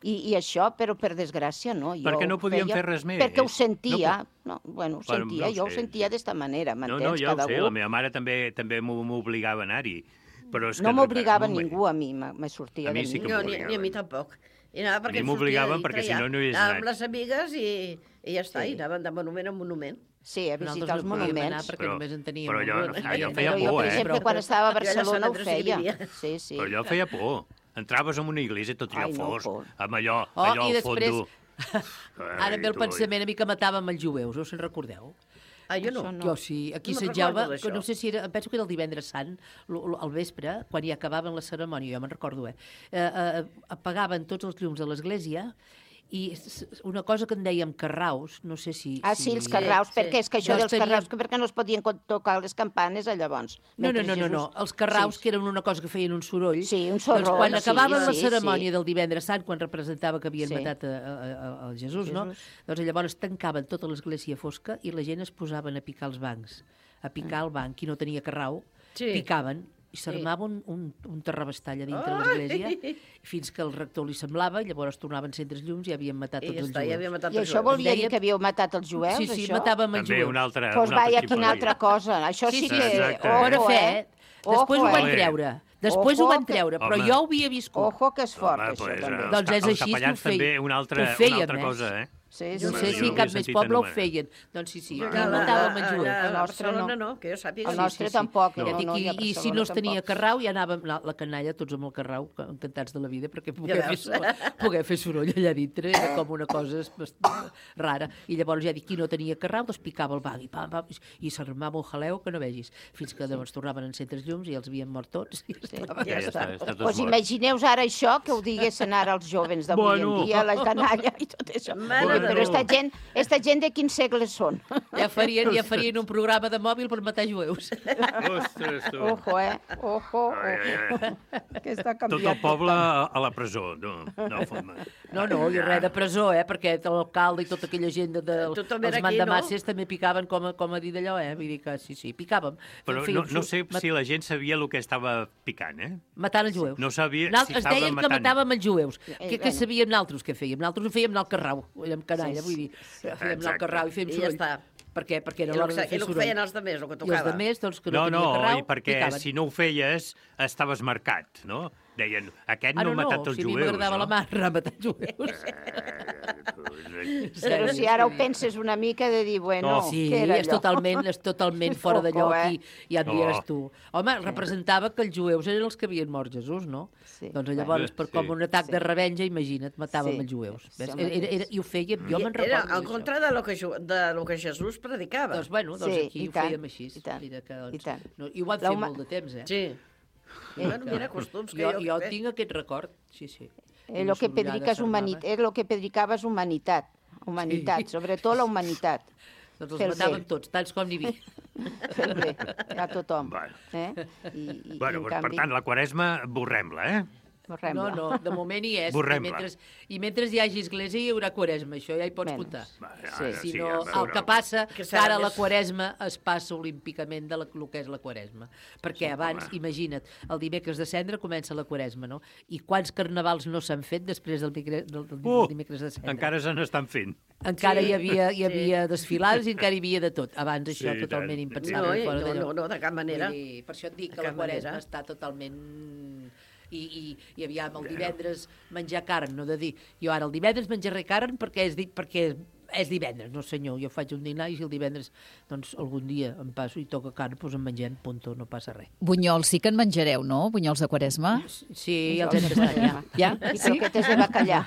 i això, però per desgràcia no. Perquè no podíem fer res més. Perquè ho sentia. Jo ho sentia d'esta manera, m'entens? Jo ho sé, la meva mare també m'obligava a anar-hi. No m'obligava ningú, a mi, me sortia de mi. No, ni a mi tampoc. A mi m'obligaven perquè si no no hi hagués anat. Anàvem amb les amigues i ja està, i anàvem de monument en monument. Sí, a visitar els monuments. Però jo feia por, Jo, per exemple, quan estava a Barcelona ho feia. Però jo feia por. Entraves en una iglesia tot allò fosc, amb allò al fondo. Ara ve el pensament a mi que matàvem els jueus, us en recordeu? Jo no. Jo sí, aquí a Sant Jaume, no sé si era, penso que era el divendres sant, al vespre, quan ja acabaven la cerimònia, jo me'n recordo, apagaven tots els llums de l'església, i una cosa que en dèiem carraus, no sé si... Sí, els carraus, perquè és que això dels carraus, perquè no es podien tocar les campanes llavors. No, els carraus, que eren una cosa que feien un soroll. Sí, un soroll. Quan acabaven la cerimònia del divendres sant, quan representava que havien matat el Jesús, no? Doncs llavors tancaven tota l'església fosca i la gent es posaven a picar els bancs. A picar el banc, qui no tenia carrau, picaven, i s'armava un terrabastall a dintre l'església, fins que el rector li semblava, i llavors tornaven a encendre els llums i havien matat tots els jueus. I això vol dir que havíeu matat els jueus? Sí, matàvem els jueus. Doncs vaja, quina altra cosa. Això sí que... Bona fe, després ho van treure. Després ho van treure, però jo ho havia viscut. Ojo, que és fort, això també. Doncs és així que ho fèiem. Una altra cosa, No sé si cap més poble ho feien. Doncs sí, matàvem el jueu. El nostre no, que jo sàpiga. El nostre tampoc. I si no es tenia carrau, ja anàvem la canalla, tots amb el carrau, encantats de la vida, perquè poder fer soroll allà dintre era com una cosa rara. I llavors ja dic, qui no tenia carrau, doncs picava el bagui, i s'armava un jaleu que no vegis, fins que llavors tornaven a encendre els llums i els havien mort tots. Doncs imagineu ara això, que ho diguessin ara els jóvens d'avui en dia, la canalla i tot això. Però esta gent de quins segles són? Ja farien un programa de mòbil per matar jueus. Ostres, tu. Ojo. Que està canviat. Tot el poble a la presó. No, i res de presó, perquè l'alcalde i tota aquella gent dels mandamasses també picaven, com a dir d'allò, vull dir que sí, picàvem. Però no sé si la gent sabia el que estava picant, Matant els jueus. No sabia si es estava deien matant. que matàvem els jueus. Què sabíem nosaltres què fèiem? Nosaltres ho fèiem anar al carrau, amb canalla, vull dir, fèiem anar al carrau i fèiem soroll. I ja està. Perquè era l'hora de fer soroll. I el que feien els demés, el que tocava. I els demés, doncs, que no tenia carrau, i perquè si no ho feies, estaves marcat, no? Deien, aquest no ha matat els jueus, no? Si a mi m'agradava la marra matar jueus. Però si ara ho penses una mica de dir, bueno, què era allò? És totalment fora de lloc i ja em diràs tu. Home, representava que els jueus eren els que havien mort Jesús, no? Doncs llavors, com un atac de revenja, imagina't, matàvem els jueus. I ho fèiem, jo me'n recordo. Era al contra de lo que Jesús predicava. Doncs bueno, aquí ho fèiem així. I ho van fer molt de temps, Sí. Mira, costums que jo tinc aquest record, sí. El que predicava és humanitat, sobretot la humanitat. Doncs els matàvem tots, tants com n'hi havia. Fer bé, a tothom. Bueno, per tant, la Quaresma, borrem-la, No, de moment hi és. I mentre hi hagi església hi haurà Quaresma, això ja hi pots comptar. Si no, el que passa, que ara la Quaresma es passa olímpicament del que és la Quaresma. Perquè abans, imagina't, el dimecres de Cendra comença la Quaresma, no? I quants carnavals no s'han fet després del dimecres de Cendra? Encara se n'estan fent. Encara hi havia desfilades i encara hi havia de tot. Abans això totalment impensable. No, de cap manera. Per això et dic que la Quaresma està totalment... I aviam, el divendres menjar carn, no de dir, jo ara el divendres menjaré carn perquè és divendres, no senyor, jo faig un dinar i si el divendres, doncs algun dia em passo i toca carn, doncs en mengem, punto, no passa res. Bunyols sí que en menjareu, no? Bunyols de Quaresma? Sí, els hem tastat, ja. I croquetes de bacallà.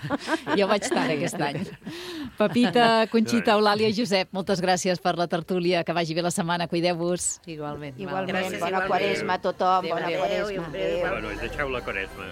Jo vaig estar aquest any. Pepita, Conxita, Eulàlia, Josep, moltes gràcies per la tertúlia, que vagi bé la setmana, cuideu-vos. Igualment. Bona Quaresma a tothom, bona Quaresma. Bueno, deixeu la Quaresma.